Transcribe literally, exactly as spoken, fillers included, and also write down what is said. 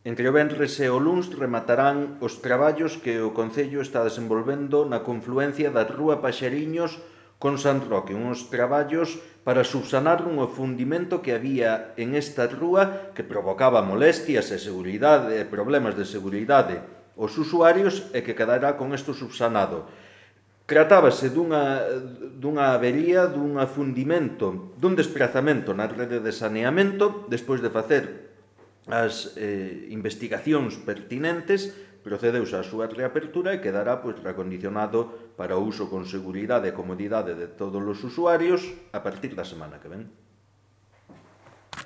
Entre o venres e o luns rematarán os traballos que o Concello está desenvolvendo na confluencia da Rúa Paxariños con San Roque, uns traballos para subsanar un afundimento que había en esta rúa que provocaba molestias e seguridade, problemas de seguridade aos usuarios e que quedará con isto subsanado. Tratábase dunha, dunha avería, dun afundimento, dun desprazamento na rede de saneamento, despois de facer as eh, investigacións pertinentes, procedeuse á súa reapertura e quedará pois, recondicionado para o uso con seguridade e comodidade de todos os usuarios a partir da semana que ven.